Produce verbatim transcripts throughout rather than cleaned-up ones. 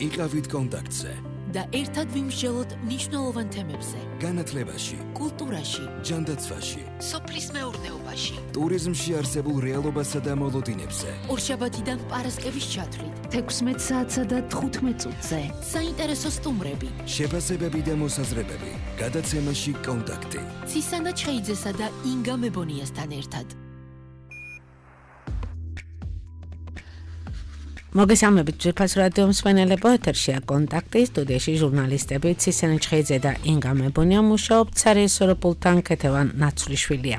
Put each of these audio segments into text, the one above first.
იყავით კონტაქტზე და ერთად ვიმსჯელოთ მნიშვნელოვან თემებზე. განათლებაში, კულტურაში, ჯანდაცვაში, სოფლის მეურნეობაში, ტურიზმში არსებულ რეალობასა და მოლოდინებზე. ორშაბათიდან პარასკევის ჩათვლით, თექვსმეტ საათსა და თხუთმეტ წუთზე. საინტერესო სტუმრები, შეფასებები და მოსაზრებები. გადაცემაში კონტაქტი. ცისანა ჩხეიძესა და ინგა მებონიასთან ერთად. მოგესალმებით ძვირფას რადიო მსმენელებო, ეთერშია კონტაქტი, სტუდიაში ჟურნალისტები ცისანა ჩხეიძე და ინგა მებონია მუშაობთ, სარეისოროპულთან ქეთევან ნაცვლიშვილია.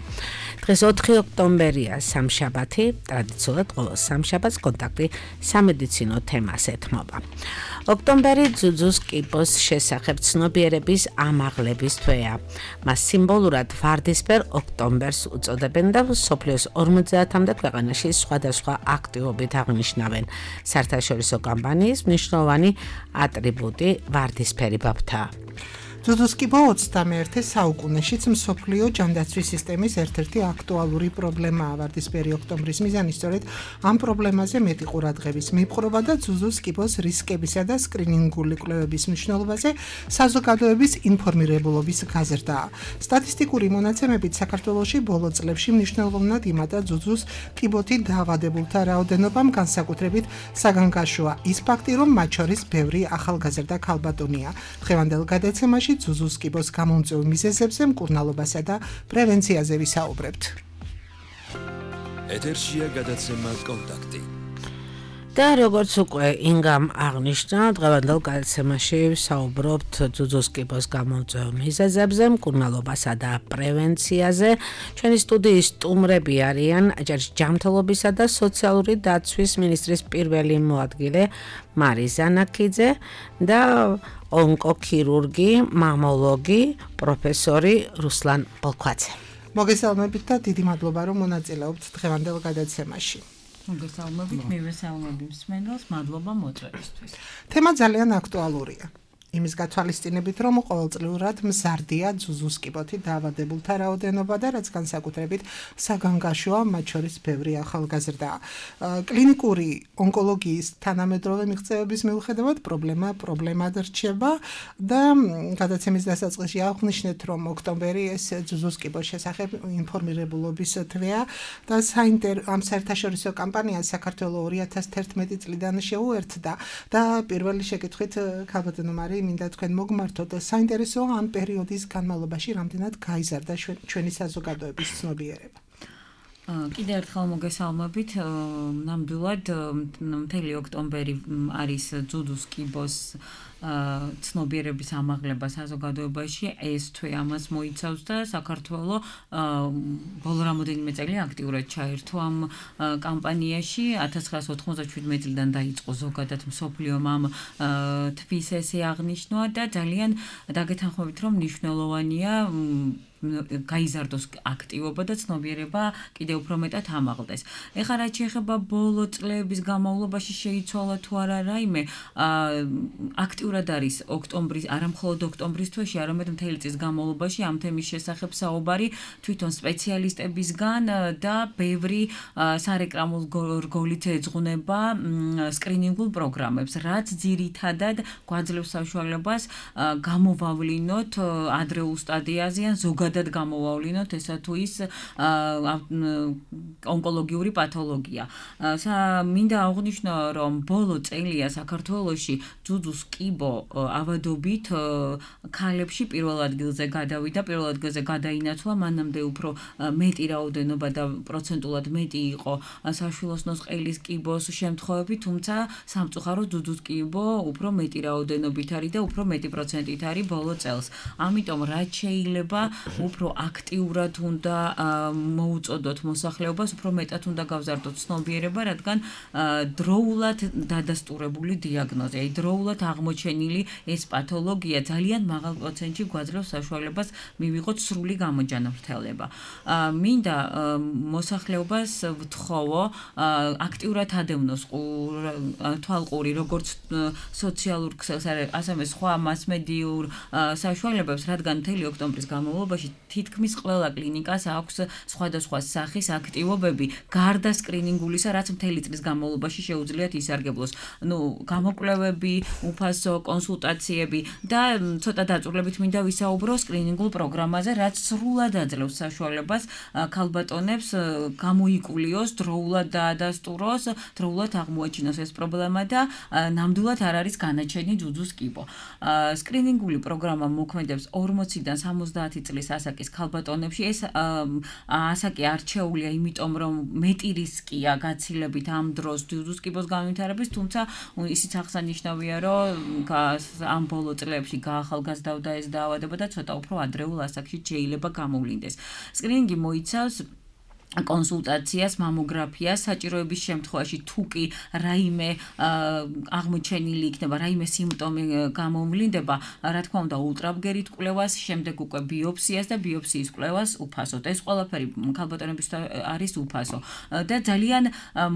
დღეს ოთხი ოქტომბერია, სამშაბათი, ტრადიციულად ყოველ სამშაბათს კონტაქტი სამედიცინო თემას ეთმობა. ოქტომბერი ძუძუს კიბოს შესახებ ცნობიერების ამაღლების თვეა. მას სიმბოლურად ვარდისფერ ოქტომბერს უწოდებენ და მსოფლიოს ორმოცდაათამდე ქვეყანაში სხვადასხვა აქტივობით აღნიშნავენ. საერთაშორისო კამპანიის მნიშვნელოვანი ატრიბუტი ვარდისფერი ბაფთაა. ძუძუს კიბო ოცდამეერთე საუკუნეშიც მსოფლიო ჯანდაცვის სისტემის ერთ-ერთი აქტუალური პრობლემაა. ვარდისფერი ოქტომბრის მიზანი სწორედ ამ პრობლემაზე მეტი ყურადღების მიპყრობა და ძუძუს კიბოს რისკებისა და სკრინინგული კვლევების მნიშვნელობაზე საზოგადოების ინფორმირებულობის გაზრდაა. სტატისტიკური მონაცემებით საქართველოში ბოლო წლებში მნიშვნელოვნად იმატა ძუძუს კიბოთი დაავადებულთა რაოდენობამ, განსაკუთრებით საგანგაშოა ის ფაქტი, რომ მათ შორის ბევრი ახალგაზრდა ქალბატონია. დღევანდელ გადაცემაში ძუძუს კიბოს გამომწვევ მიზეზებზე, მკურნალობასა და პრევენციაზე ვისაუბრებთ. ეთერშია გადაცემა კონტაქტი. და როგორც უკვე ინგამ აღნიშნა, დღევანდელ გადაცემაში ვსაუბრობთ ძუძუს კიბოს გამომწვევ მიზეზებზე, მკურნალობასა და პრევენციაზე. ჩვენი სტუდიის სტუმრები არიან ჯანმრთელობისა და სოციალური დაცვის მინისტრის პირველი მოადგილე მარი ზანაქიძე და ონკოქირურგი, მამოლოგი, პროფესორი რუსლან ბოლქვაძე. მოგესალმებით და დიდი მადლობა, რომ მონაწილეობთ დღევანდელ გადაცემაში. მოგესალმებით, მივესალმები მსმენელს, მადლობა მოწვევისთვის. თემა ძალიან აქტუალურია. იმის გათვალისწინებით, რომ ყოველწლიურად მზარდია ძუძუს კიბოთი დაავადებულთა რაოდენობა და რაც განსაკუთრებით საგანგაშოა, მათ შორის ბევრი ახალგაზრდაა. კლინიკური ონკოლოგიის თანამედროვე მიღწევების მიუხედავად პრობლემა პრობლემად რჩება და გადაცემის დასაწყისში აღვნიშნეთ, რომ ოქტომბერი ეს ძუძუს კიბოს შესახებ ინფორმირებულობის თვეა და ამ საერთაშორისო კამპანია საქართველოს ორი ათას თერთმეტი წლიდან შეუერთდა და პირველი შეკითხვით ქალბატონო მარი მინდა თქვენ მოგმართოთ, საინტერესოა ამ პერიოდის განმავლობაში რამდენად გაიზარდა ჩვენი საზოგადოების ცნობიერება. კიდევ ერთხელ მოგესალმებით, ნამდვილად მთელი ოქტომბერი არის ძუძუს კიბოს ცნობიერების ამაღლება საზოგადოებაში, ეს თვე ამას მოიცავს და საქართველოს ბოლო რამოდენიმე წელი აქტიურად ჩაერთო ამ კამპანიაში. ათას ცხრაას ოთხმოცდაშვიდმეტი წლიდან დაიწყო ზოგადად მსოფლიომ ამ თვის ესე აღნიშნვა და ძალიან დაგეთანხმებით, რომ მნიშვნელოვანია გაიზარდოს აქტივობა და ცნობიერება კიდევ უფრო მეტად ამაღლდეს. ეხლა რაც შეეხება ბოლო წლების განმავლობაში შეიცვალა თუ არა რაიმე, აქტიურად არის ოქტომბრის, არა მხოლოდ ოქტომბრის თვეში, არამედ მთელი წლის განმავლობაში ამ თემის შესახებ საუბარი თვითონ სპეციალისტებისგან და ბევრი სარეკლამო რგოლით ეძღვნება სკრინინგულ პროგრამებს, რაც ძირითადად გვაძლევს საშუალებას გამოვავლინოთ ადრეულ სტადიაზე ან ზოგადად გამოვავლინოთ ესა თუ ის ონკოლოგიური პათოლოგია. მინდა აღვნიშნო, რომ ბოლო წელია საქართველოში ძუძუს კიბო ავადობით ქალებში პირველ ადგილზე გადავიდა, პირველ ადგილზე გადაინაცვლა, მანამდე უფრო მეტი რაოდენობა და პროცენტულად მეტი იყო საშვილოსნოს ყელის კიბოს შემთხვევები, თუმცა სამწუხაროდ ძუძუს კიბო უფრო მეტი რაოდენობით არის და უფრო მეტი პროცენტით არის ბოლო წელს. ამიტომ რაც შეიძლება უფრო აქტიურად უნდა მოუწოდოთ მოსახლეობას, უფრო მეტად უნდა გავზარდოთ ცნობიერება, რადგან დროულად დადასტურებული დიაგნოზი, აი დროულად აღმოჩენილი აღმოჩენილი ეს პათოლოგია ძალიან მაღალ პროცენტში გვაძლევს საშუალებას მივიღოთ სრული გამოჯანმრთელება. მინდა მოსახლეობას ვთხოვო აქტიურად ადევნოს თვალყური როგორც სოციალურ ქსელს, ასევე სხვა მასმედიურ საშუალებებს, რადგან მთელი ოქტომბრის განმავლობაში თითქმის ყველა კლინიკას აქვს სხვადასხვა სახის აქტივობები, გარდა სკრინინგულისა, რაც მთელი წლის განმავლობაში შეუძლიათ ისარგებლოს. ნუ გამოკვლევები, უფასო კონსულტაციები და ცოტა დაწვრილებით მინდა ვისაუბრო სკრინინგულ პროგრამაზე, რაც სრულად აძლევს საშუალებას ქალბატონებს გამოიკულიოს, დროულად დაადასტუროს, დროულად აღმოაჩინოს ეს პრობლემა და ნამდვილად არ არის განაჩენი ძუძუს კიბო. სკრინინგული პროგრამა მოქმედებს ორმოციდან სამოცდაათი წლის ასაკის ქალბატონებში. ეს ასაკი არჩეულია, იმიტომ რომ მეტი რისკია გაცილებით ამ დროს ძუძუს კიბოს განვითარების, თუმცა ისიც აღსანიშნავია, რომ ამ ბოლო წლებში გაახალგაზრდავდა ეს დაავადება და ცოტა უფრო ადრეულ ასაკში შეიძლება გამოვლინდეს. სკრინინგი მოიცავს კონსულტაციას, მამოგრაფიას, საჭიროების შემთხვევაში თუ კი რაიმე აღმოჩენილი იქნება, რაიმე სიმპტომი გამომვლინდება, რა თქმა უნდა, ულტრაბგერით კვლევას, შემდეგ უკვე ბიოპსიას და ბიოპსიის კვლევას უფასოდ. ეს ყველაფერი ქალბატონებისთვის არის უფასო და ძალიან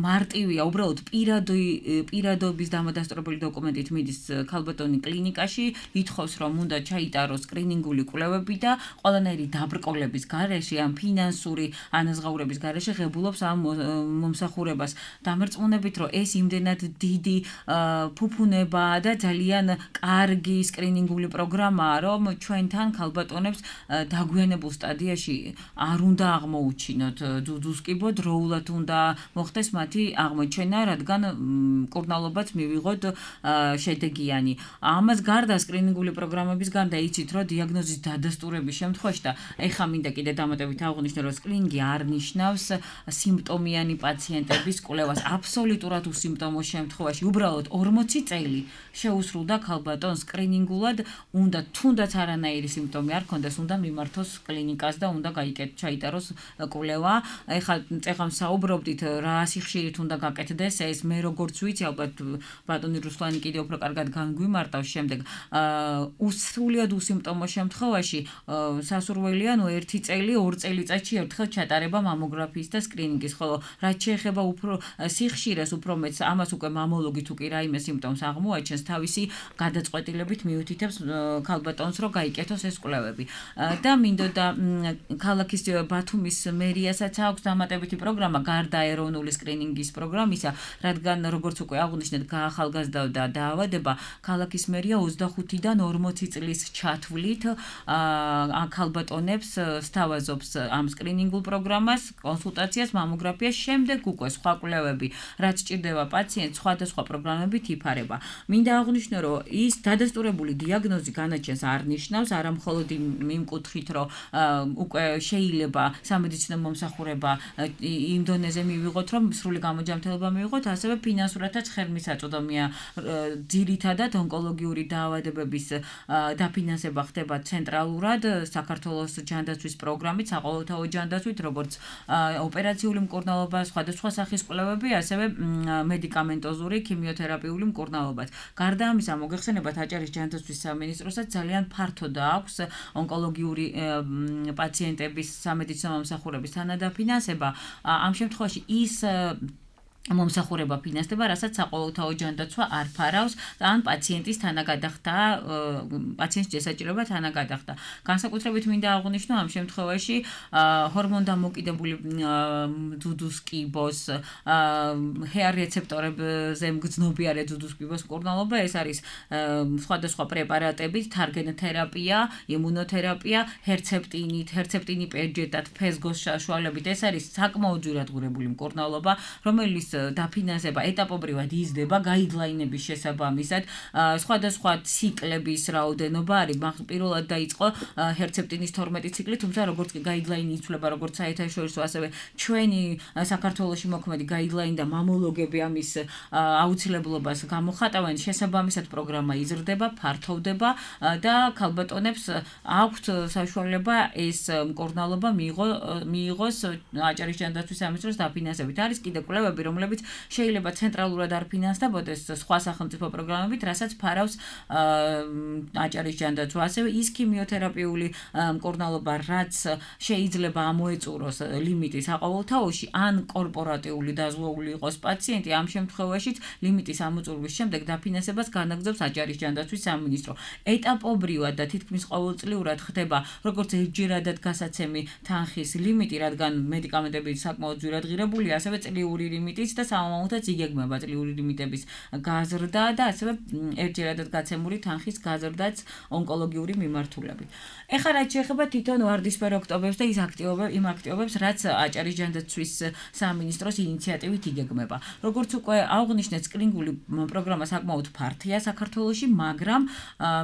მარტივია, უბრალოდ პირადი პირადობის დამადასტურებელი დოკუმენტით მიდის ქალბატონი კლინიკაში, ითხოვს, რომ უნდა ჩაიტაროს სკრინინგული კვლევები და ყველანაირი დაბრკოლების გარეშე ან ფინანსური ანაზღაურების გარეშე ღებულობს ამ მომსახურებას. დამერწმუნებით, რომ ეს იმდენად დიდი ფუფუნებაა და ძალიან კარგი სკრინინგული პროგრამაა, რომ ჩვენთან ქალბატონებს დაგვიანებულ სტადიაში არ უნდა აღმოუჩინოთ ძუძუს კიბო, დროულად უნდა მოხდეს მათი აღმოჩენა, რადგან მკურნალობაც მივიღოთ შედეგიანი. ამას გარდა სკრინინგული პროგრამების გარდა იცით, რომ დიაგნოზის დადასტურების შემთხვევაში და ეხა მინდა კიდე დამატებით აღვნიშნო, რომ სკრინინგი არ ნიშნავს სიმპტომიანი პაციენტების კვლევას. აბსოლუტურად უსიმპტომო შემთხვევაში უბრალოდ ორმოცი წელი შეუსრულდა ქალბატონს სკრინინგულად, უნდა თუნდაც არანაირი სიმპტომი არ ქონდეს, უნდა მიმართოს კლინიკას და უნდა გაიკეთოს, ჩაიტაროს კვლევა. ეხლა წეღან საუბრობდით, რა სიხშირით უნდა გაკეთდეს ეს, მე როგორც ვიცი, ალბათ ბატონი რუსლანი კიდევ უფრო კარგად განგვიმარტავს შემდეგ. უსრულიად უსიმპტომო შემთხვევაში სასურველია, ნუ ერთი წელი, ორ წელიწადში ერთხელ ჩატარება მამოგრაფიის და სკრინინგის, ხოლო რაც შეეხება უფრო სიხშირეს, უფრო მეც ამას უკვე მამოლოგი თუ კი რაიმე სიმპტომს აღმოაჩენს, თავისი გადაწყვეტილებით მიუთითებს ქალბატონს, რომ გაიკეთოს ეს კვლევები. და მინდოდა ქალაქის ბათუმის მერიასაც აქვს დამატებითი პროგრამა გარდა ეროვნული სკრინინგის პროგრამისა, რადგან როგორც უკვე აღვნიშნეთ, გაახალგაზრდავდა დაავადება, ქალაქის მერია ოცდახუთიდან ორმოცი წლის ჩათვლით ქალბატონებს სთავაზობს ამ სკრინინგულ პროგრამას, კონსულტაციას, მამოგრაფიას, შემდეგ უკვე სხვა კვლევები, რაც სჭირდება პაციენტს, სხვადასხვა პროგრამებით იფარება. მინდა აღვნიშნო, რომ ის დადასტურებული დიაგნოზი განაჩენს არ ნიშნავს, არა მხოლოდ იმ კუთხით, რომ უკვე შეიძლება სამედიცინო მომსახურება იმ დონეზე მივიღოთ, რომ სრული გამოჯანმრთელება მივიღოთ, ასევე ფინანსურადაც ხელმისაწვდომია. ძირითადად ონკოლოგიური დაავადებების დაფინანსება ხდება ცენტრალურად საქართველოს ჯანდაცვის პროგრამით, საყოველთაო ჯანდაცვით, როგორც ოპერაციული მკურნალობა, სხვადასხვა სახის კვლევები, ასევე მედიკამენტოზური, ქიმიოთერაპიული მკურნალობაც. გარდა ამისა, მოგეხსენებათ, აჭარის ჯანდაცვის სამინისტროსაც ძალიან ფართოდ აქვს ონკოლოგიური პაციენტების სამედიცინო მომსახურების თანადაფინანსება. ამ შემთხვევაში ის მომსახურება ფინანსდება, რასაც საყოველთაო ჯანდაცვა არ ფარავს, ან პაციენტის თანაგადახდა, პაციენტის შესაჭიროება თანაგადახდა. განსაკუთრებით მინდა აღვნიშნო ამ შემთხვევაში ჰორმონდამოკიდებული ძუძუს კიბოს, ჰეარ რეცეპტორებზე მგრძნობიარე ძუძუს კიბოს მკურნალობა, ეს არის სხვადასხვა პრეპარატებით, თარგენთერაპია, იმუნოთერაპია, ჰერცეპტინით, ჰერცეპტინი პერჯეტად, ფესგოს საშუალებით, ეს არის საკმაოდ ძვირადღურებული მკურნალობა, რომელიც დაფინანსება ეტაპობრივად იზრდება გაიდლაინების შესაბამისად, სხვადასხვა ციკლების რაოდენობა არის. პირველად დაიწყო ჰერცეპტინის თორმეტი ციკლი, თუმცა როგორც კი გაიდლაინი იცვლება, როგორც საერთაშორისო, ასევე ჩვენი საქართველოში მოქმედი გაიდლაინი და მამოლოგები ამის აუცილებლობას გამოხატავენ, შესაბამისად პროგრამა იზრდება, ფართოვდება და ქალბატონებს აქვთ საშუალება ეს მკურნალობა მიიღოს აჭარის ჯანდაცვის სამინისტროს დაფინანსებით. არის კიდე კვლევები, რომლებიც რომლებიც შეიძლება ცენტრალურად არ ფინანსდებოდეს სხვა სახელმწიფო პროგრამებით, რასაც ფარავს აჭარის ჯანდაცვა, ასევე ის ქიმიოთერაპიული მკურნალობა, რაც შეიძლება ამოეწუროს ლიმიტის აყოველთაოში, ან კორპორატიული დაზღვეული იყოს პაციენტი, ამ შემთხვევაშიც ლიმიტის ამოწურვის შემდეგ დაფინანსებას განაგრძობს აჭარის ჯანდაცვის სამინისტრო. ეტაპობრივად და თითქმის ყოველწლიურად ხდება როგორც ერთჯერადად გასაცემი თანხის ლიმიტი, რადგან მედიკამენტები საკმაოდ ძვირად ღირებულია, ასევე წლიური ლიმიტიც და სამომავლოდაც იგეგმება წლიური ლიმიტების გაზრდა და ასევე ერთჯერადად გაცემული თანხის გაზრდაც ონკოლოგიური მიმართულებით. ეხლა რაც შეეხება თვითონ ვარდისფერ ოქტომბერს და ის აქტივობებს, იმ აქტივობებს, რაც აჭარის ჯანდაცვის სამინისტროს ინიციატივით იგეგმება. როგორც უკვე აღნიშნეთ, სკრინინგული პროგრამა საკმაოდ ფართია საქართველოში, მაგრამ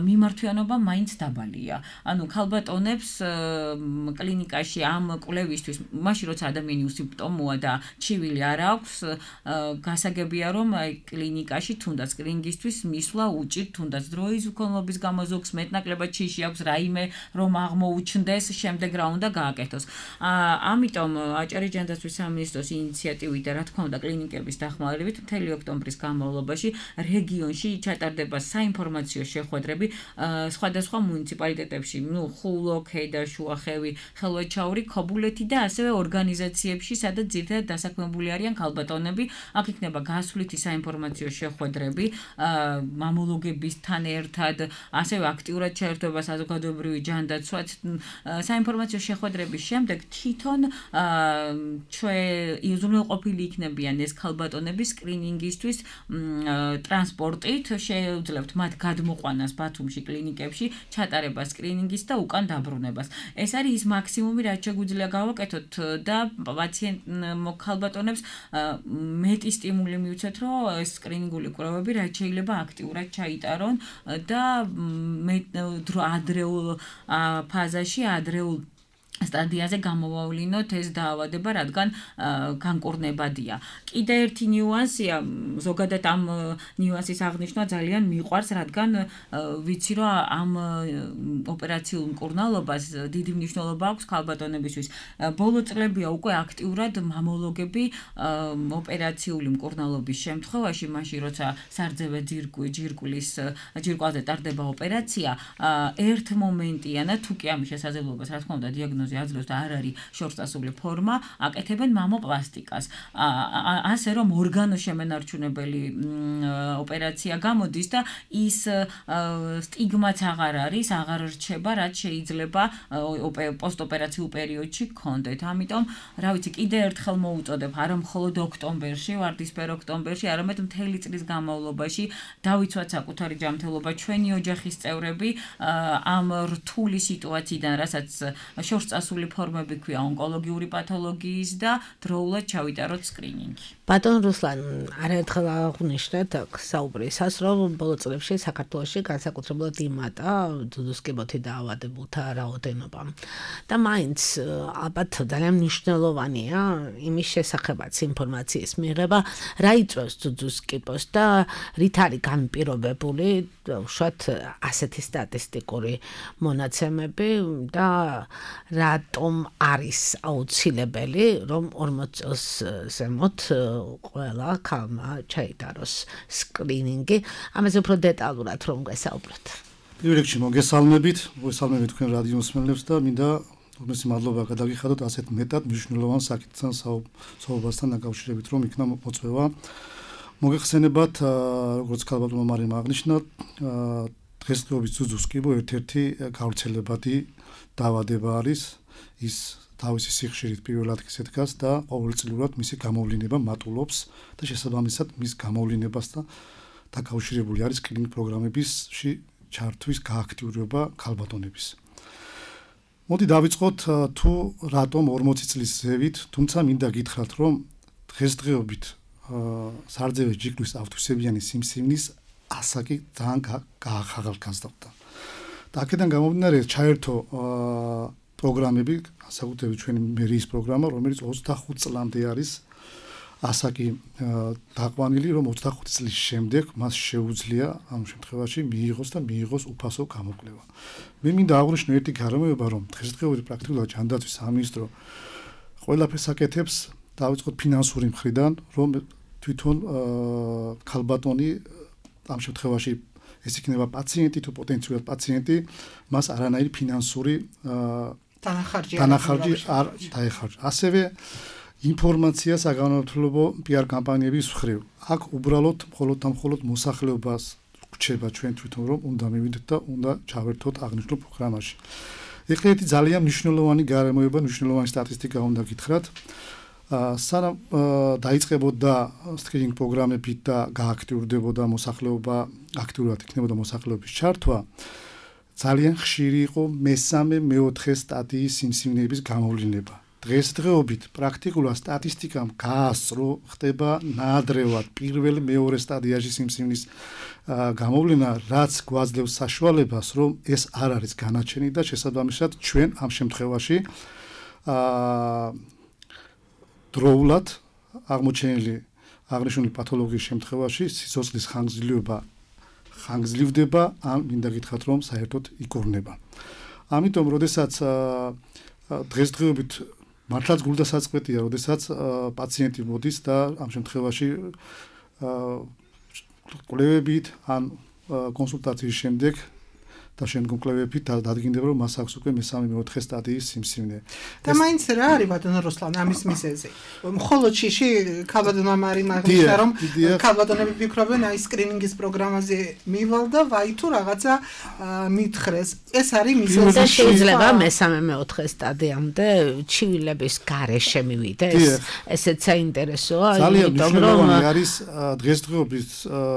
მიმართვიანობა მაინც დაბალია. ანუ ქალბატონებს კლინიკაში ამ კვლევისთვის, მაშინ როცა ადამიანი უსიმპტომოა და ჩივილი არ აქვს, გასაგებია რომ კლინიკაში თუნდაც სკრინინგისთვის მისვლა უჭირთ, თუნდაც დროის უქონლობის გამო ზოგს მეტნაკლებად ჩიში აქვს რაიმე რომ აღმოუჩნდეს, შემდეგ რა უნდა გააკეთოს. ამიტომ აჭარის ჯანდაცვის სამინისტროს ინიციატივით და რა თქმა უნდა კლინიკების დახმარებით მთელი ოქტომბრის განმავლობაში რეგიონში ჩატარდება საინფორმაციო შეხვედრები სხვადასხვა მუნიციპალიტეტებში, ну, ხულო, ქედა, შუახევი, ხელვაჩაური, ქობულეთი და ასევე ორგანიზაციებში, სადაც ძირითადად დასაქმებული არიან ქალბატონები. აქ იქნება გასვლითი საინფორმაციო შეხვედრები მამოლოგებისთან ერთად, ასევე აქტიურად ჩაერთვება საზოგადოებრივი ჯანდაცვაც. საინფორმაციო შეხვედრების შემდეგ თვითონ ჩვენ უზრუნველყოფილი იქნებიან ეს ქალბატონები სკრინინგისთვის ტრანსპორტით, შეუძლებთ მათ გადმოყვანას ბათუმში კლინიკებში, ჩატარებას სკრინინგის და უკან დაბრუნებას. ეს არის ის მაქსიმუმი, რაც შეგვიძლია გავაკეთოთ და პაციენტ ქალბატონებს მეტი სტიმული მივცეთ, რომ ეს სკრინინგული კვლევები რაც შეიძლება აქტიურად ჩაიტარონ და ადრეულ ფაზაში, ადრეულ სტადიაზე გამოვავლინოთ ეს დაავადება, რადგან განკურნებადია. კიდე ერთი ნიუანსია, ზოგადად ამ ნიუანსის აღნიშვნა ძალიან მიყვარს, რადგან ვიცი, რომ ამ ოპერაციულ მკურნალობას დიდი მნიშვნელობა აქვს ქალბატონებისთვის. ბოლო წლებია უკვე აქტიურად მამოლოგები ოპერაციული მკურნალობის შემთხვევაში, მაშინ როცა სარძევე ჯირკვლის ჯირკვალზე ტარდება ოპერაცია, ერთ მომენტიანად თუ კი ამის შესაძლებლობას, რა თქმა უნდა, დიაგნოზი აძლევს და არ არის შორსწასული ფორმა, აკეთებენ მამოპლასტიკას. ასე რომ ორგანოშემენარჩუნებელი ოპერაცია გამოდის და ის სტიგმაც აღარ არის, აღარ რჩება, რაც შეიძლება პოსტოპერაციულ პერიოდში გქონდეთ. ამიტომ, რა ვიცი, კიდე ერთხელ მოუწოდებ, არა მხოლოდ ოქტომბერში, ვარდისფერ ოქტომბერში, არამედ მთელი წლის განმავლობაში დავიცვათ საკუთარი ჯანმრთელობა, ჩვენი ოჯახის წევრები ამ რთული სიტუაციიდან, რასაც შორსწასული ასული ფორმები ქვია ონკოლოგიური პათოლოგიის და დროულად ჩავიტაროთ სკრინინგი. ბატონ რუსლან, არაერთხელ აღნიშნეთ საუბრისას, რომ ბოლო წლებში საქართველოში განსაკუთრებულად იმატა ძუძუსკიბოთი დაავადებულთა რაოდენობა. და მაინც ალბათ ძალიან მნიშვნელოვანია იმის შესახებაც ინფორმაციის მიღება, რა იწვევს ძუძუსკიბოს და რით არის განპირობებული უშუალოდ ასეთი სტატისტიკური მონაცემები და რატომ არის აუცილებელი, რომ ორმოც წელს ზემოთ ყველა ქალმა ჩაიტაროს სკრინინგი. ამაზე უფრო დეტალურად რომ გესაუბროთ. პირველ რიგში მოგესალმებით, მოგესალმებით თქვენ რადიო მსმენელებს და მინდა ორმოცი მადლობა გადაგიხადოთ ასეთ მეტად მნიშვნელოვან საკითხთან საუბართან დაკავშირებით, რომ იქნა მოწვევა. მოგეხსენებათ, როგორც ქალბატონმა მარიამ აღნიშნა, დღესდღეობით ძუძუსკიბო ერთ-ერთი გავრცელებადი დაავადება არის, ის თავისი სიხშირით პირველ ადგილზე დგას და ყოველწლიურად მისი გამოვლინება მატულობს და შესაბამისად მის გამოვლინებას და დაკავშირებული არის კლინიკ პროგრამებისში ჩართვის გააქტიურება ქალბატონების. მოდი დავიწყოთ თუ რატომ ორმოცი წლის ზევით, თუმცა მინდა გითხრათ, რომ დღესდღეობით სარძევე ჯირკვლის ავტვისებიანი სიმსივნის ასაკი ძალიან გაახალგაზრდა. და აქედან გამომდინარე ჩაერთო პროგრამები, საკუთრებით ჩვენი მერიის პროგრამა, რომელიც ოცდახუთ წლამდე არის ასაკი დაყვანილი, რომ ოცდახუთი წლის შემდეგ მას შეუძლია ამ შემთხვევაში მიიღოს და მიიღოს უფასო გამოკვლევა. მე მინდა აღვნიშნო ერთი გარემოება, რომ დღესდღეობით პრაქტიკულად ჯანდაცვის სამინისტრო ყველაფერს აკეთებს, დავიწყოთ ფინანსური მხრიდან, რომ თვითონ ქალბატონი ამ შემთხვევაში ეს იქნება პაციენტი თუ პოტენციურად პაციენტი, მას არანაირი ფინანსური თანახარჯი თანახარჯი არ დაეხარჯა. ასევე ინფორმაცია საგანმანათლებლო პიარ კამპანიების მხრივ. აქ უბრალოდ მხოლოდ და მხოლოდ მოსახლეობას გვჩება ჩვენ თვითონ რომ უნდა მივიდეთ და უნდა ჩავერთოთ აღნიშნულ პროგრამაში. ეხლა ერთი ძალიან მნიშვნელოვანი გარემოება, მნიშვნელოვანი სტატისტიკა უნდა გითხრათ. სანამ დაიწყებოდა სკრინინგ პროგრამები და გააქტიურდებოდა მოსახლეობა, აქტიურად იქნებოდა მოსახლეობის ჩართვა, ძალიან ხშირი იყო მესამე, მეოთხე სტადიის სიმსივნეების გამოვლინება. დღესდღეობით პრაქტიკულად სტატისტიკამ გაასწრო, ხდება ნაადრევად პირველ მეორე სტადიაში სიმსივნის გამოვლენა, რაც გვაძლევს საშუალებას, რომ ეს არ არის განაჩენი და შესაბამისად ჩვენ ამ შემთხვევაში დროულად აღმოჩენილი აღნიშნული პათოლოგიის შემთხვევაში სიცოცხლის ხანგრძლივობა ხანგრძლივდება, ან მინდა გითხრათ, რომ საერთოდ იკორნება. ამიტომ, როდესაც დღესდღეობით მართლაც გულდასაწყვეტია, როდესაც პაციენტი მოდის და ამ შემთხვევაში კვლევებით ან კონსულტაციის შემდეგ და შემდგომ კვლევებით დადგინდება, რომ მას აქვს უკვე მესამე მეოთხე სტადიის სიმსივნე. და მაინც რა არის ბატონო რუსლან ამის მიზეზი? მხოლოდ შიში ქალბატონმა მარი მაგნიშნა რომ ქალბატონები ფიქრობენ აი სკრინინგის პროგრამაზე მივალ და ვაი თუ რაღაცა მითხრეს. ეს არის მიზეზი. და შეიძლება მესამე მეოთხე სტადიამდე ჩივილების გარეშე მივიდეს. ესეც საინტერესოა, ძალიან მნიშვნელოვანი არის დღესდღეობით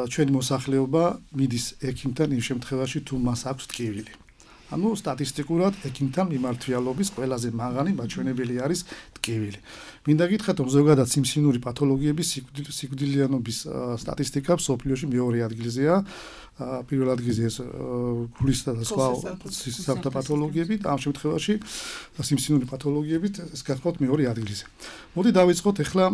ჩვენი მოსახლეობა მიდის ექიმთან იმ შემთხვევაში თუ მას აქვს ტკივილი. ანუ სტატისტიკურად ექიმთან მიმართვიალობის ყველაზე მაღალი მაჩვენებელი არის ტკივილი. მინდა გითხრათ, რომ ზოგადად სიმსივნური პათოლოგიების სიკვდილიანობის სტატისტიკა მსოფლიოში მეორე ადგილზეა. პირველ ადგილზე ეს გულისა და სხვა სისხლძარღვთა პათოლოგიები, ამ შემთხვევაში სიმსივნური პათოლოგიებით ეს გახლავთ მეორე ადგილზე. მოდი დავიწყოთ ახლა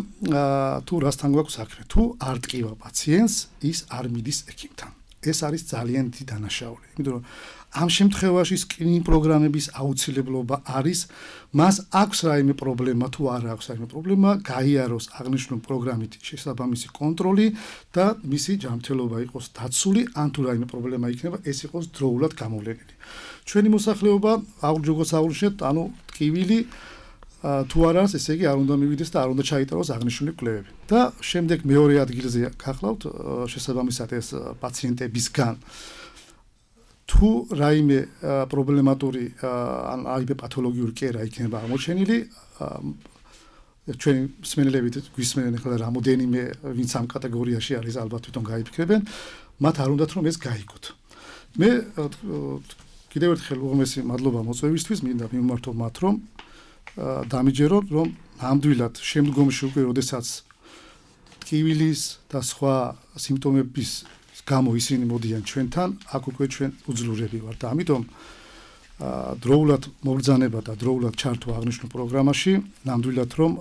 თუ რასთან გვაქვს საქმე. თუ არ ტკივა პაციენტს, ის არ მიდის ექიმთან. ეს არის ძალიან დიდი დანაშაული. იმიტომ რომ ამ შემთხვევაში სკრინინგ პროგრამების აუცილებლობა არის, მას აქვს რაიმე პრობლემა თუ არ აქვს რაიმე პრობლემა, გაიაროს აღნიშნული პროგრამით შესაბამისი კონტროლი და მისი ჯანმრთელობა იყოს დაცული, ან თუ რაიმე პრობლემა იქნება, ეს იყოს დროულად გამოვლენილი. ჩვენი მოსახლეობა აღჯოგოს აღნიშნეთ, ანუ ტკივილი თუ არ არის, ესე იგი არ უნდა მივიდეს და არ უნდა ჩაიტაროს აღნიშნული კვლევები. და შემდეგ მეორე ადგილზე გახლავთ შესაბამისად ეს პაციენტებისგან თუ რაიმე პრობლემატური ან აიმე პათოლოგიური კერა იქნება აღმოჩენილი, ჩვენი მსმენელებით გვისმენენ ახლა რამოდენიმე ვინც ამ კატეგორიაში არის, ალბათ თვითონ გაიფიქრებენ, მათ არ უნდათ რომ ეს გაიგოთ. მე კიდევ ერთხელ უღმესი მადლობა მოწვევისთვის, მინდა მიმართო მათ, რომ დამიჯეროთ, რომ ნამდვილად შემდგომში უკვე როდესაც ტკივილის და სხვა სიმპტომების გამო ისინი მოდიან ჩვენთან, აქ უკვე ჩვენ უძლურები ვართ და ამიტომ დროულად მობრძანება და დროულად ჩართვა აღნიშნულ პროგრამაში, ნამდვილად რომ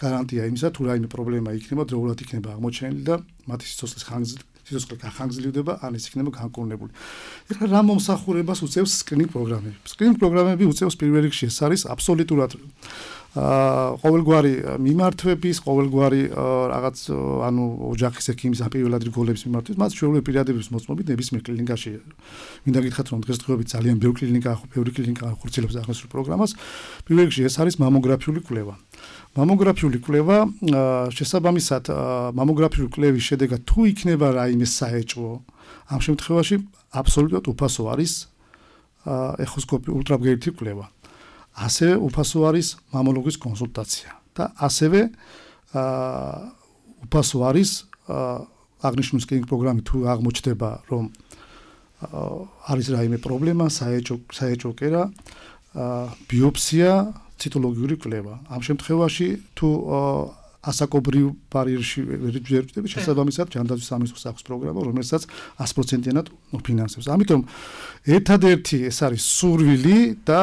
გარანტია იმისა, თუ რაიმე პრობლემა იქნება, დროულად იქნება აღმოჩენილი და მათი სიცოცხლის ხანგრძლივობა სიცოცხლე გახანგრძლივდება, ან ის იქნება განკურნებული. ეხლა რა მომსახურებას უწევს სკრინინგ პროგრამები? სკრინინგ პროგრამები უწევს პირველ რიგში ეს არის აბსოლუტურად ყოველგვარი მიმართვების, ყოველგვარი რაღაც ანუ ოჯახის ექიმის ან პირველ ადგილ გოლების მიმართვების, მათ ჩვეულებრივ პირადების მოწმობით ნებისმიერ კლინიკაში. მინდა გითხრათ, რომ დღესდღეობით ძალიან ბევრი კლინიკა, ბევრი კლინიკა ახორციელებს აღნიშნულ პროგრამას. პირველ რიგში ეს არის მამოგრაფიული კვლევა. მამოგრაფიული კვლევა, შესაბამისად, მამოგრაფიული კვლევის შედეგად თუ იქნება რაიმე საეჭვო, ამ შემთხვევაში აბსოლუტურად უფასო არის ეხოსკოპი ულტრაბგერითი კვლევა. ასევე უფასო არის მამოლოგის კონსულტაცია და ასევე უფასო არის აღნიშნული სკრინინგ პროგრამით თუ აღმოჩნდება, რომ არის რაიმე პრობლემა, საეჭვო საეჭვო კერა, ბიოპსია, ციტოლოგიური კვლევა. ამ შემთხვევაში თუ ასაკობრივ ბარიერში ვერჯერდები, შესაბამისად ჯანდაცვის სამინისტროს აქვს პროგრამა, რომელსაც sto პროცენტიანად ფინანსებს. ამიტომ ერთადერთი ეს არის სურვილი და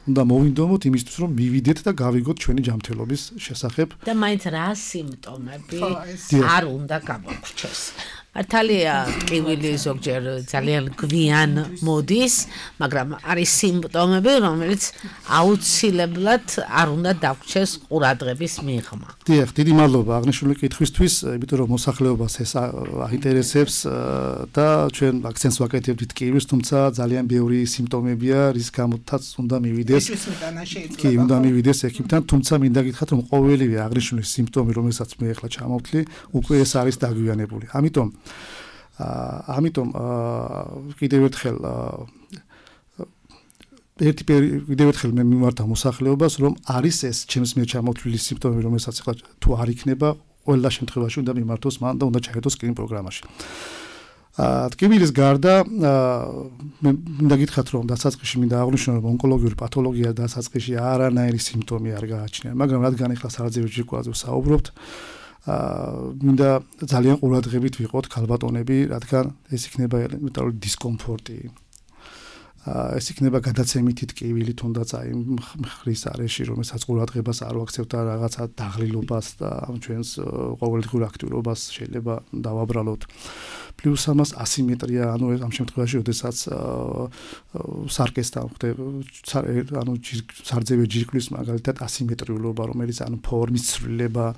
უნდა მოვინდომოთ იმისთვის, რომ მივიდეთ და გავიგოთ ჩვენი ჯანმრთელობის შესახებ. და მაინც რა სიმპტომები არ უნდა გამოგვჩეს. მართალია ტკივილი ზოგჯერ ძალიან გვიან მოდის, მაგრამ არის სიმპტომები, რომელიც აუცილებლად არ უნდა დაგვრჩეს ყურადღების მიღმა. დიახ, დიდი მადლობა აღნიშნული კითხვისთვის, იმიტომ რომ მოსახლეობას ეს აინტერესებს და ჩვენ აქცენტს ვაკეთებთ ტკივილს, თუმცა ძალიან ბევრი სიმპტომებია, რის გამოთაც უნდა მივიდეს. კი, უნდა მივიდეს ექიმთან, თუმცა მინდა გითხრათ, რომ ყოველივე აღნიშნული სიმპტომი, რომელსაც მე ახლა ჩამოვთვლი, უკვე ეს არის დაგვიანებული. ამიტომ ამიტომ კიდევ ერთხელ ერთი კიდევ ერთხელ მე მიმართა მოსახლეობას, რომ არის ეს ჩემს მიერ ჩამოთვლილი სიმპტომები, რომელსაც ახლა თუ არ იქნება, ყველა შემთხვევაში უნდა მიმართოს მან და უნდა ჩაერთოს სკრინ პროგრამაში. ტკივილის გარდა მე მინდა გითხრათ, რომ დასაწყისში მინდა აღვნიშნო, რომ ონკოლოგიური პათოლოგია დასაწყისში არანაირი სიმპტომი არ გააჩნია, მაგრამ რადგან ახლა სარძივო ჯირკვალზე ვსაუბრობთ, მინდა ძალიან ყურადღებით ვიყოთ ქალბატონები, რადგან ეს იქნება ელემენტარული დისკომფორტი. ეს იქნება გადაცემითი ტკივილი, თუნდაც აი მხრის არეში, რომელსაც ყურადღებას არ ვაქცევთ და რაღაცა დაღლილობას და ჩვენს ყოველდღიურ აქტიურობას შეიძლება დავაბრალოთ. პლუს ამას ასიმეტრია, ანუ ამ შემთხვევაში, როდესაც სარკესთან ხდება, ანუ სარძევი ჯირკვლის მაგალითად ასიმეტრიულობა, რომელიც ანუ ფორმის ცვლილება,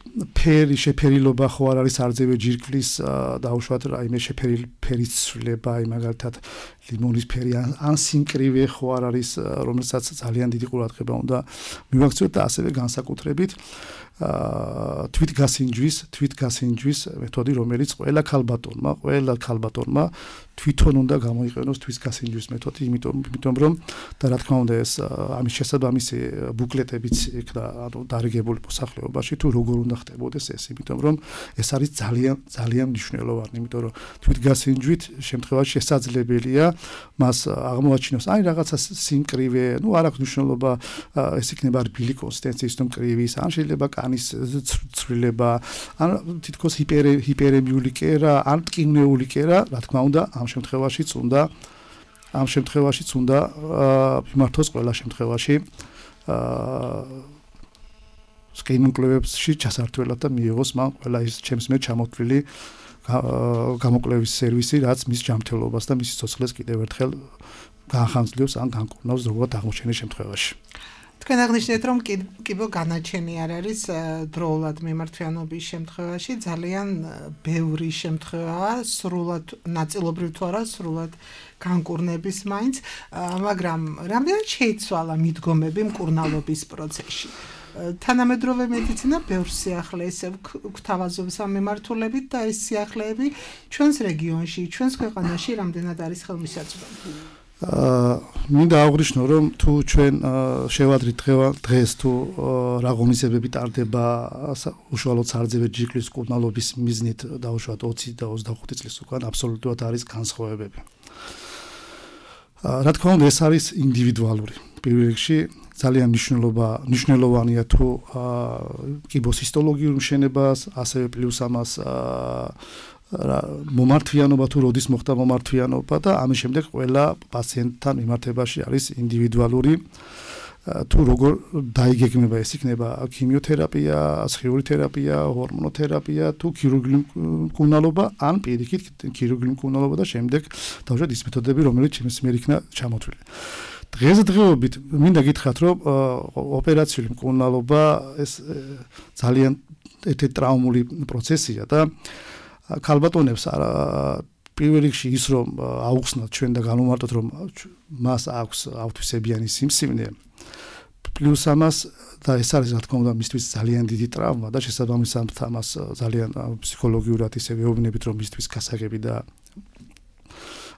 ფერი შეფერილობა ხო არ არის სარძევი ჯირკვლის დაუშვათ რაიმე შეფერილი ფერის ცვლილება, აი მაგალითად ლიმონის ფერი ან სინკრივე ხო არ არის, რომელსაც ძალიან დიდი ყურადღება უნდა მივაქციოთ და ასევე განსაკუთრებით თვითგასინჯვის, თვითგასინჯვის მეთოდი, რომელიც ყველა ქალბატონმა, ყველა ქალბატონმა თვითონ უნდა გამოიყენოს თვითგასინჯვის მეთოდი, იმიტომ იმიტომ რომ და რა თქმა უნდა ეს ამის შესაბამისი ბუკლეტებიც იქნა ანუ დარიგებული მოსახლეობაში თუ როგორ უნდა ხდებოდეს ეს, იმიტომ რომ ეს არის ძალიან ძალიან მნიშვნელოვანი, იმიტომ რომ თვითგასინჯვით შემთხვევაში შესაძლებელია მას აღმოაჩინოს აი რაღაცა სიმკრივე, ну არ აქვს მნიშვნელობა ეს იქნება რბილი კონსისტენციის თუ მკრივის, ან შეიძლება კანის ცვლილება, ან თითქოს ჰიპერ ჰიპერემიული კერა, ან ტკივნეული კერა, რა თქმა უნდა ამ შემთხვევაშიც უნდა ამ შემთხვევაშიც უნდა მიმართოს ყველა შემთხვევაში სკრინინგ კვლევებში ჩასართვლად და მიიღოს მან ყველა ის ჩემს მიერ ჩამოთვლილი გამოკვლევის სერვისი, რაც მის ჯანმრთელობას და მის სიცოცხლეს კიდევ ერთხელ განხანძლიოს ან განკურნავს ზოგადად აღმოჩენის შემთხვევაში. თქვენ აღნიშნეთ, რომ კიბო განაჩენი არ არის დროულად მიმართვიანობის შემთხვევაში, ძალიან ბევრი შემთხვევაა, სრულად ნაწილობრივ თუ არა, სრულად განკურნების მაინც, მაგრამ რამდენად შეიცვალა მიდგომები მკურნალობის პროცესში? თანამედროვე მედიცინა ბევრ სიახლეეს გვთავაზობს ამ მიმართულებით და ეს სიახლეები ჩვენს რეგიონში, ჩვენს ქვეყანაში რამდენად არის ხელმისაწვდომი? მინდა აღვნიშნო, რომ თუ ჩვენ შევადრით დღეს თუ რა ღონისძიებები ტარდება უშუალოდ სარძევი ჯირკვლის მკურნალობის მიზნით დაუშვათ ოცი და ოცდახუთი წლის უკან, აბსოლუტურად არის განსხვავებები. რა თქმა უნდა, ეს არის ინდივიდუალური. პირველ რიგში ძალიან მნიშვნელობა მნიშვნელოვანია თუ კიბოს ჰისტოლოგიურ მშენებას, ასევე პლუს ამას მომართვიანობა თუ როდის მოხდა მომართვიანობა და ამის შემდეგ ყველა პაციენტთან მიმართებაში არის ინდივიდუალური თუ როგორ დაიგეგმება ეს იქნება ქიმიოთერაპია, სხიური თერაპია, ჰორმონოთერაპია თუ ქირურგიული მკურნალობა ან პირიქით ქირურგიული მკურნალობა და შემდეგ დავუშვათ ის მეთოდები, რომელიც ჩემს მიერ იქნა ჩამოთვლილი. დღესდღეობით მინდა გითხრათ, რომ ოპერაციული მკურნალობა ეს ძალიან ერთ-ერთი ტრაუმული პროცესია და ქალბატონებს პირველ რიგში ის რომ აუხსნათ ჩვენ და განვმარტოთ რომ მას აქვს ავთვისებიანი სიმსივნე, პლუს ამას და ეს არის რა თქმა უნდა მისთვის ძალიან დიდი ტრავმა და შესაბამისად ამას ძალიან ფსიქოლოგიურად ისე ვეუბნებით რომ მისთვის გასაგები და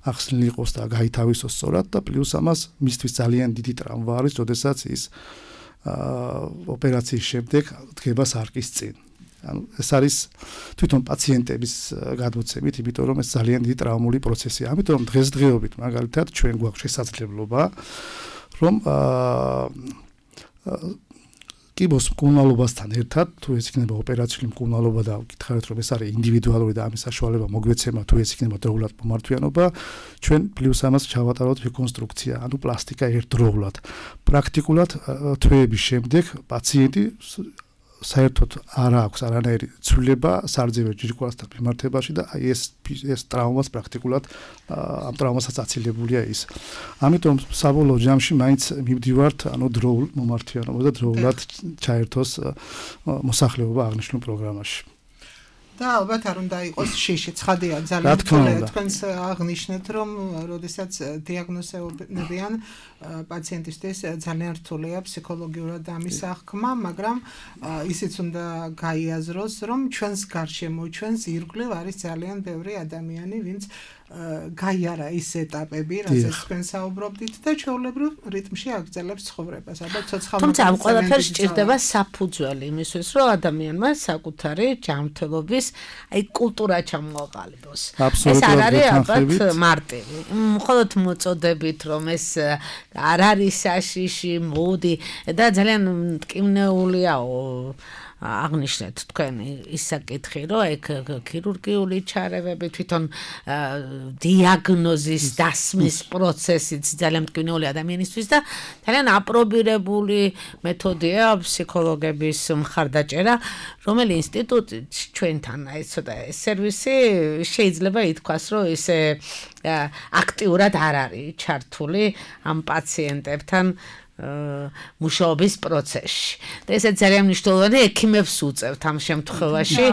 ახსნილი იყოს და გაითავისოს სწორად და პლუს ამას მისთვის ძალიან დიდი ტრავმა არის, როდესაც ის ოპერაციის შემდეგ დგება სარკის წინ. ანუ ეს არის თვითონ პაციენტების გადმოცემით, იმიტომ რომ ეს ძალიან დიდი ტრაუმული პროცესია. ამიტომ დღესდღეობით მაგალითად ჩვენ გვაქვს შესაძლებლობა რომ კიბოს მკურნალობასთან ერთად, თუ ეს იქნება ოპერაციული მკურნალობა და გითხარით რომ ეს არის ინდივიდუალური და ამის საშუალება მოგვეცემა, თუ ეს იქნება დროულად მომართვიანობა, ჩვენ პლუს ამას ჩავატარავთ რეკონსტრუქცია, ანუ პლასტიკა ერთდროულად. პრაქტიკულად თვეების შემდეგ პაციენტი საერთოდ არ აქვს არანაირი ცვლილება სარძივე ჯირკვალასთან მიმართებაში და აი ეს ეს ტრავმას პრაქტიკულად ამ ტრავმასაც აცილებულია ის. ამიტომ საბოლოო ჯამში მაინც მივდივართ ანუ დროულ მომართვიანობას და დროულად ჩაერთოს მოსახლეობა აღნიშნულ პროგრამაში. და ალბათ არ უნდა იყოს შიში, ცხადია, ძალიან რთულია თქვენს აღნიშნეთ, რომ როდესაც დიაგნოზებიან პაციენტისთვის ძალიან რთულია ფსიქოლოგიურად ამის აღქმა, მაგრამ ისიც უნდა გაიაზროს, რომ ჩვენს გარშემო, ჩვენს ირგვლივ არის ძალიან ბევრი ადამიანი, ვინც გაიარა ის ეტაპები, რასაც თქვენ საუბრობდით და ჩვეულებრივ რიტმში აგრძელებს ცხოვრებას. ალბათ ცოცხალ თუმცა ამ ყველაფერს სჭირდება საფუძველი იმისთვის, რომ ადამიანმა საკუთარი ჯანმრთელობის აი კულტურა ჩამოაყალიბოს. ეს არ არის ალბათ მარტივი. მხოლოდ მოწოდებით, რომ ეს არ არის საშიში, მოდი და ძალიან მტკივნეულიაო აღნიშნეთ თქვენ ის საკითხი, რომ ეგ ქირურგიული ჩარევები, თვითონ დიაგნოზის დასმის პროცესიც ძალიან მტკივნეული ადამიანისთვის და ძალიან აპრობირებული მეთოდია ფსიქოლოგების მხარდაჭერა, რომელი ინსტიტუტი ჩვენთან აი ცოტა სერვისი შეიძლება ითქვას, რომ ისე აქტიურად არ არის ჩართული ამ პაციენტებთან მუშაობის პროცესში. და ესეც ძალიან მნიშვნელოვანი ექიმებს უწევთ ამ შემთხვევაში,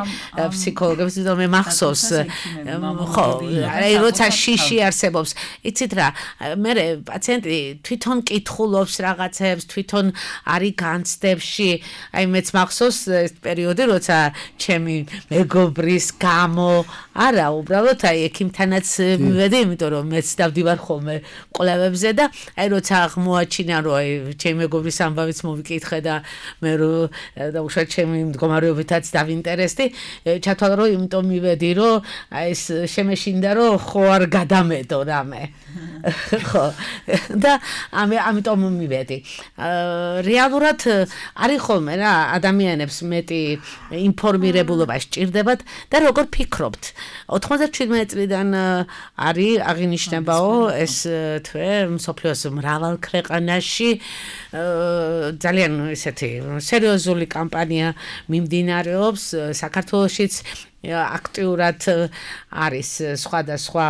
ფსიქოლოგებს, თვითონ მე მახსოვს, ხო, აი როცა შიში არსებობს, იცით რა, მე პაციენტი თვითონ კითხულობს რაღაცებს, თვითონ არის განცდებში, აი მეც მახსოვს ეს პერიოდი, როცა ჩემი მეგობრის გამო, არა, უბრალოდ აი ექიმთანაც მივედი, იმიტომ რომ მეც დავდივარ ხოლმე კვლევებზე და აი როცა აღმოაჩინა, რომ აი ჩემი მეგობრის ამბავიც მოვიკითხე და მე და უშუალოდ ჩემი მდგომარეობითაც დავინტერესდი, ჩათვალა რომ იმიტომ მივედი, რომ აი ეს შემეშინდა, რომ ხო არ გადამედო რამე. ხო. და ამიტომ მივედი. რეალურად არის ხოლმე რა ადამიანებს მეტი ინფორმირებულობა სჭირდებათ და როგორ ფიქრობთ? ოთხმოცდაშვიდმეტი წლიდან არის აღინიშნებაო ეს თვე მსოფლიოს მრავალ ქვეყანაში ძალიან ესეთი სერიოზული კამპანია მიმდინარეობს საქართველოშიც აქტიურად არის სხვადასხვა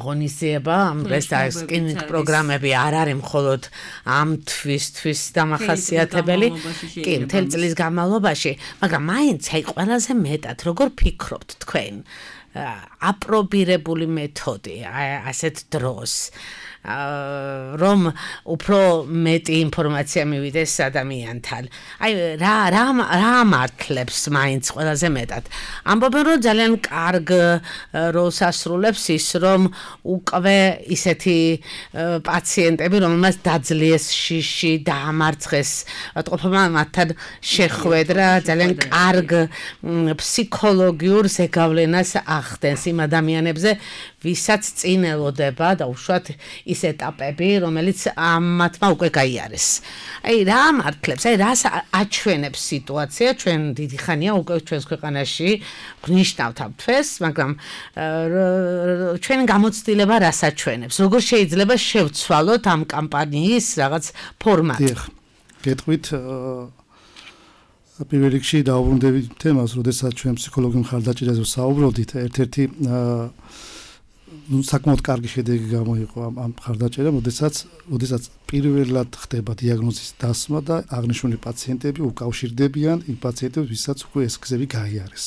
ღონისძიება, ამ რესტაურაციის პროგრამები არ არის მხოლოდ ამ თვისთვის დამახასიათებელი, კი, მთელი წლის განმავლობაში, მაგრამ მაინც აი ყველაზე მეტად როგორ ფიქრობთ თქვენ აპრობირებული მეთოდი ასეთ დროს რომ უფრო მეტი ინფორმაცია მივიდეს ადამიანთან. აი რა რა რა მართლებს მაინც ყველაზე მეტად. ამბობენ რომ ძალიან კარგ როლს ასრულებს ის რომ უკვე ისეთი პაციენტები რომელმაც დაძლიეს შიში დაამარცხეს ვატყობმა მათთან შეხვედრა ძალიან კარგ ფსიქოლოგიურ ზეგავლენას ახდენს იმ ადამიანებზე ვისაც წინ ელოდება და უშუალოდ ის ეტაპები, რომელიც ამათმა უკვე გაიარეს. აი რა მართლებს, აი რას აჩვენებს სიტუაცია, ჩვენ დიდი ხანია უკვე ჩვენს ქვეყანაში გვნიშნავთ ამ თვეს, მაგრამ ჩვენ გამოცდილება რას აჩვენებს? როგორ შეიძლება შევცვალოთ ამ კამპანიის რაღაც ფორმატი? დიახ, გეტყვით პირველ რიგში დაუბრუნდებით თემას, როდესაც ჩვენ ფსიქოლოგიურ მხარდაჭერაზე ვსაუბრობდით, ერთ-ერთი ну საკმაოდ კარგი შედეგი გამოიყო ამ ამ მხარდაჭერამ, როდესაც როდესაც პირველად ხდება დიაგნოზის დასმა და აღნიშნული პაციენტები უკავშირდებიან იმ პაციენტებს, ვისაც უკვე ეს გზები გაიარეს.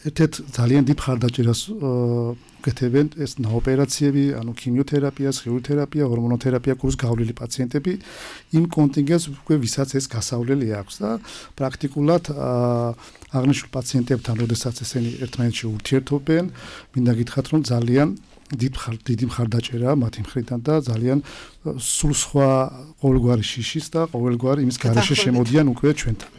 ერთ-ერთ ძალიან დიდ მხარდაჭერას უკეთებენ ეს ნაოპერაციები, ანუ ქიმიოთერაპია, სხეული თერაპია, ჰორმონოთერაპია კურს გავლილი პაციენტები იმ კონტინგენტს უკვე ვისაც ეს გასავლელი აქვს და პრაქტიკულად აღნიშნულ პაციენტებთან, როდესაც ესენი ერთმანეთში ურთიერთობენ, მინდა გითხრათ, რომ ძალიან დიდ დიდი მხარდაჭერაა მათი მხრიდან და ძალიან სულ სხვა ყოველგვარი შიშის და ყოველგვარი იმის გარეშე შემოდიან უკვე ჩვენთან.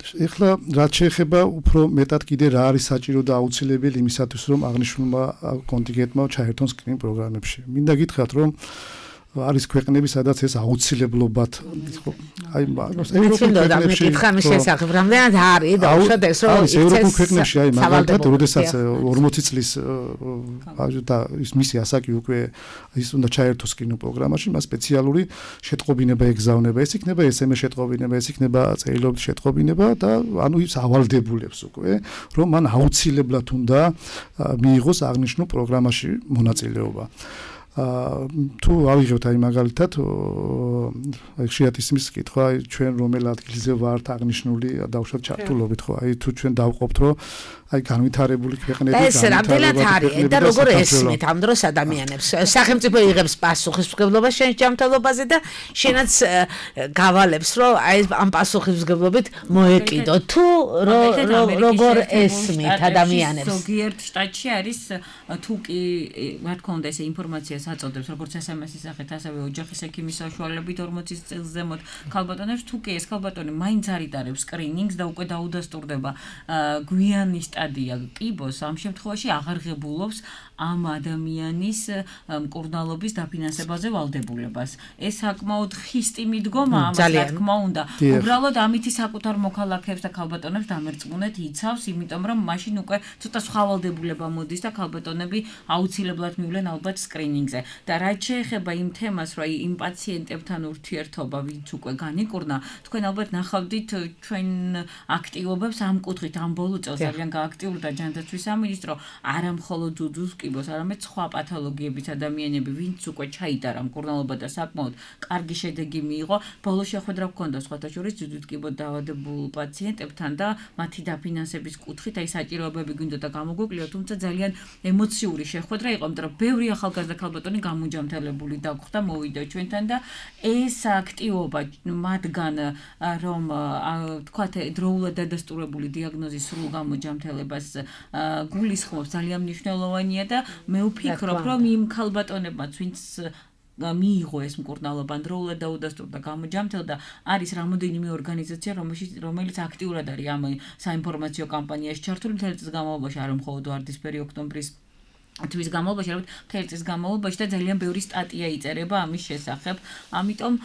ეხლა რაც შეეხება უფრო მეტად კიდე რა არის საჭირო და აუცილებელი იმისათვის რომ აღნიშნულმა კონტინგენტმა ჩაერთონ სკრინინგ პროგრამებში. მინდა გითხრათ რომ არის ქვეყნები, სადაც ეს აუცილებლობად აი ევროპულ ქვეყნებში ხამის შესახებ რამდენად არის და უშად ეს რომ ის ევროპულ ქვეყნებში აი მაგალითად როდესაც ორმოცი წლის და ის მისი ასაკი უკვე ის უნდა ჩაერთოს კინოპროგრამაში, მას სპეციალური შეტყობინება ეგზავნება, ეს იქნება ესემეს შეტყობინება, ეს იქნება წერილობის შეტყობინება და ანუ ის ავალდებულებს უკვე რომ მან აუცილებლად უნდა მიიღოს აღნიშნულ პროგრამაში მონაწილეობა. თუ ავიღებთ აი მაგალითად აი ხშირად ისმის კითხვა ჩვენ რომელ ადგილზე ვართ აღნიშნული დაუშვათ ჩართულობით ხო აი თუ ჩვენ დავყოფთ რომ აი განვითარებული ქვეყნები და ეს რამდენად არის და როგორ ესმით ამ დროს ადამიანებს სახელმწიფო იღებს პასუხისმგებლობას შენ ჯანმრთელობაზე და შენაც გავალებს რომ აი ამ პასუხისმგებლობით მოეკიდო თუ როგორ ესმით ადამიანებს ზოგიერთ შტატში არის თუ კი რა თქმა უნდა ეს ინფორმაცია საწოდებს როგორც ეს em es-ის სახით ასევე ოჯახის ექიმის საშუალებით ორმოცი წელს ზემოთ ქალბატონებს თუ კი ეს ქალბატონი მაინც არიტარებს სკრინინგს და უკვე დაუდასტურდება გვიანი სტადია კიბოს ამ შემთხვევაში აღარ ღებულობს ამ ადამიანის მკურნალობის დაფინანსებაზე ვალდებულებას. ეს საკმაოდ ხისტი მიდგომა ამას რა თქმა უნდა. უბრალოდ ამითი საკუთარ მოქალაქეებს და ქალბატონებს დამერწმუნეთ იცავს, იმიტომ რომ მაშინ უკვე ცოტა სხვა ვალდებულება მოდის და ქალბატონები აუცილებლად მივლენ ალბათ სკრინინგზე. და რაც შეეხება იმ თემას, რომ იმ პაციენტებთან ურთიერთობა, ვინც უკვე განიკურნა, თქვენ ალბათ ნახავდით ჩვენ აქტივობებს ამ კუთხით, ამ ბოლო წელს ძალიან გააქტიურდა ჯანდაცვის სამინისტრო, არა მხოლოდ ძუძუს კიბოს, არამედ სხვა პათოლოგიების ადამიანები, ვინც უკვე ჩაიტარა მკურნალობა და საკმაოდ კარგი შედეგი მიიღო, ბოლო შეხვედრა ჰქონდა სხვათა შორის ძუძუს კიბოს დაავადებულ პაციენტებთან და მათი დაფინანსების კუთხით, აი საჭიროებები გვინდოდა გამოგვიკვლიოთ, თუმცა ძალიან ემოციური შეხვედრა იყო, იმიტომ რომ ბევრი ახალგაზრდა ქალბატონი გამოჯამთელებული დაგხვდა, მოვიდა ჩვენთან და ეს აქტივობა მათგან რომ თქვათ დროულად დადასტურებული დიაგნოზის სრულ გამოჯამთელებას გულისხმობს ძალიან მნიშვნელოვანია და მე ვფიქრობ რომ იმ ქალბატონებმაც ვინც მიიღო ეს მკურნალობა დროულად დაუდასტურდა გამოჯამთელდა არის რამოდენიმე ორგანიზაცია რომელიც აქტიურად არის ამ საინფორმაციო კამპანიაში ჩართული მთელი წლის განმავლობაში არა მხოლოდ ვარდისფერი ოქტომბრის თვის განმავლობაში არამედ მთელი წლის განმავლობაში და ძალიან ბევრი სტატია იწერება ამის შესახებ ამიტომ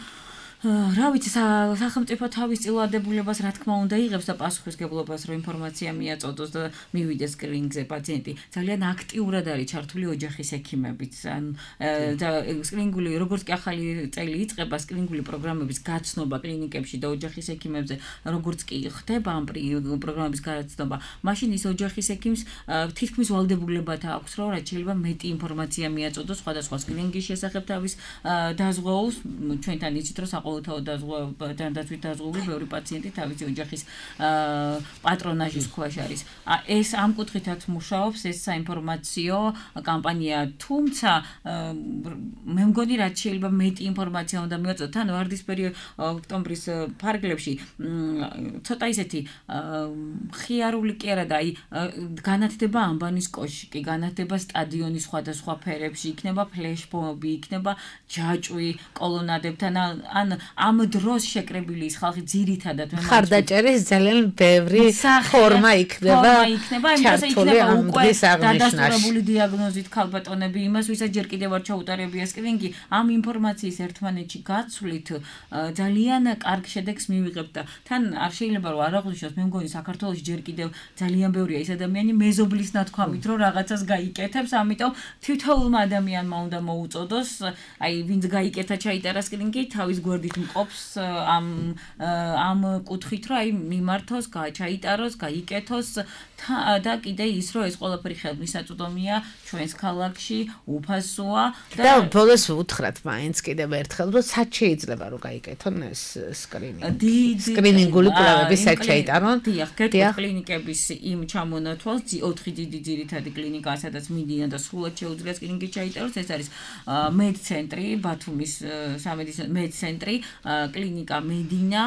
რა ვიცი სახელმწიფო თავის წილვადებულებას რა თქმა უნდა იღებს და პასუხისმგებლობას რომ ინფორმაცია მიაწოდოს და მივიდეს სკრინინგზე პაციენტი ძალიან აქტიურად არის ჩართული ოჯახის ექიმებიც ან და სკრინინგული როგორც კი ახალი წელი იწყება სკრინინგული პროგრამების გაცნობა კლინიკებში და ოჯახის ექიმებზე როგორც კი ხდება ამ პროგრამების გაცნობა მაშინ ის ოჯახის ექიმს თითქმის ვალდებულებად აქვს რომ რაც შეიძლება მეტი ინფორმაცია მიაწოდოს სხვადასხვა სკრინინგის შესახებ თავის დაზღვეულს ჩვენთან იცით რომ ყოველთაოდ დაზღვევით დაზღვეული ბევრი პაციენტი თავისი ოჯახის პატრონაჟის ქვეშ არის. ეს ამ კუთხითაც მუშაობს ეს საინფორმაციო კამპანია, თუმცა მე მგონი რაც შეიძლება მეტი ინფორმაცია უნდა მიაწოდოთ. თან ვარდისფერი ოქტომბრის ფარგლებში ცოტა ისეთი ხიარული კი არა და აი განათდება ამბანის კოშკი, განათდება სტადიონის სხვადასხვა ფერებში, იქნება ფლეშმობი, იქნება ჯაჭვი კოლონადებთან ან ამ დროს შეკრებილი ის ხალხი ძირითადად მე ხარდაჭერის ძალიან ბევრი ფორმა იქნება ჩართული ამ დღის აღნიშვნაში დადასტურებული დიაგნოზით ქალბატონები იმას ვისაც ჯერ კიდევ არ ჩაუტარებია სკრინინგი ამ ინფორმაციის ერთმანეთში გაცვლით ძალიან კარგ შედეგს მივიღებთ და თან არ შეიძლება რომ არ აღვნიშნოს მე მგონი საქართველოში ჯერ კიდევ ძალიან ბევრია ის ადამიანი მეზობლის ნათქვამით რომ რაღაცას გაიკეთებს ამიტომ თითოეულმა ადამიანმა უნდა მოუწოდოს აი ვინც გაიკეთა ჩაიტარა სკრინინგი თავის გვერდით მყოფს ამ ამ კუთხით რომ აი მიმართოს, ჩაიტაროს, გაიკეთოს და კიდე ის რომ ეს ყველაფერი ხელმისაწვდომია ჩვენს ქალაქში, უფასოა და ბოლოს უთხრათ მაინც კიდევ ერთხელ რომ სად შეიძლება რომ გაიკეთონ ეს სკრინინგი. სკრინინგული კვლევები სად ჩაიტარონ? დიახ, კლინიკების იმ ჩამონათვალს ოთხი დიდი ძირითადი კლინიკა, სადაც მიდიან და სრულად შეუძლია სკრინინგი ჩაიტაროს, ეს არის მედცენტრი, ბათუმის სამედიცინო მედცენტრი, კლინიკა მედინა,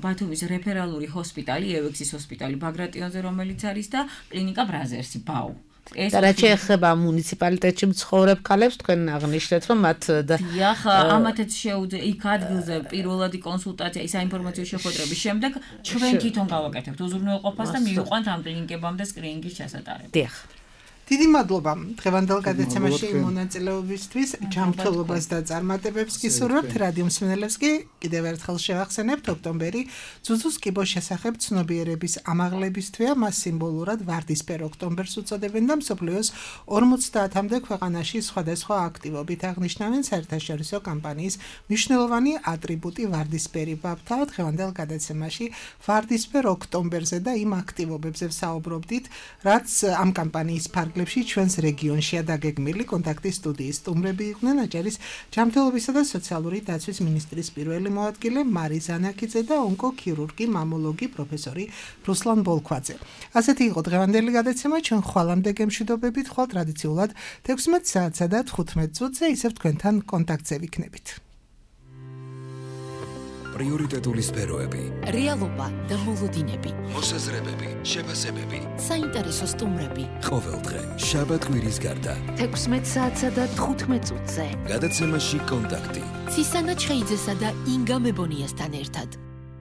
ბათუმის რეფერალური ჰოსპიტალი, ევექსის ჰოსპიტალი ბაგრატიონზე, რომელიც არის და კლინიკა ბრაზერსი, ბაუ. და რაც შეეხება მუნიციპალიტეტში მცხოვრებ ქალებს, თქვენ აღნიშნეთ, რომ მათ დიახ, ამათაც შეუძლია იქ ადგილზე პირველადი კონსულტაცია, ის საინფორმაციო შეხვედრების შემდეგ ჩვენ თვითონ გავაკეთებთ უზრუნველყოფას და მივიყვანთ ამ კლინიკებამდე სკრინინგის ჩასატარება. დიახ. დიდი მადლობა დღევანდელ გადაცემაში მონაწილეობისთვის, ჯანმრთელობას და წარმატებებს გისურვებთ. რადიო მსმენელებს კი კიდევ ერთხელ შევახსენებთ ოქტომბერი ზუზუს კიბოს შესახებ ცნობიერების ამაღლების თვეა, მას სიმბოლურად ვარდისფერ ოქტომბერს უწოდებენ და მსოფლიოს ორმოცდაათამდე ქვეყანაში სხვადასხვა აქტივობით აღნიშნავენ საერთაშორისო კამპანიის მნიშვნელოვანი ატრიბუტი ვარდისფერი ბაბთა. დღევანდელ გადაცემაში ვარდისფერ ოქტომბერზე და იმ აქტივობებზე ვსაუბრობდით, რაც ამ კამპანიის ფარგლებში ჩვენს რეგიონშია დაგეგმილი. კონტაქტის სტუდიის სტუმრები იყვნენ აჭარის ჯანმრთელობისა და სოციალური დაცვის მინისტრის პირველი მოადგილე მარი ზანაკიძე და ონკოქირურგი, მამოლოგი პროფესორი რუსლან ბოლქვაძე. ასეთი იყო დღევანდელი გადაცემა. ჩვენ ხვალამდე გემშვიდობებით, ხვალ ტრადიციულად თექვსმეტ საათსა და თხუთმეტ წუთზე ისევ თქვენთან კონტაქტზე ვიქნებით. პრიორიტეტული სფეროები, რეალობა და მოლოდინები, მოსაზრებები, შეფასებები, საინტერესო სტუმრები. ყოველდღე შაბათ-კვირის გარდა თექვსმეტ საათსა და თხუთმეტ წუთზე. გადაცემაში კონტაქტი. ცისანა ჩხეიძესა და ინგა მებონიასთან ერთად.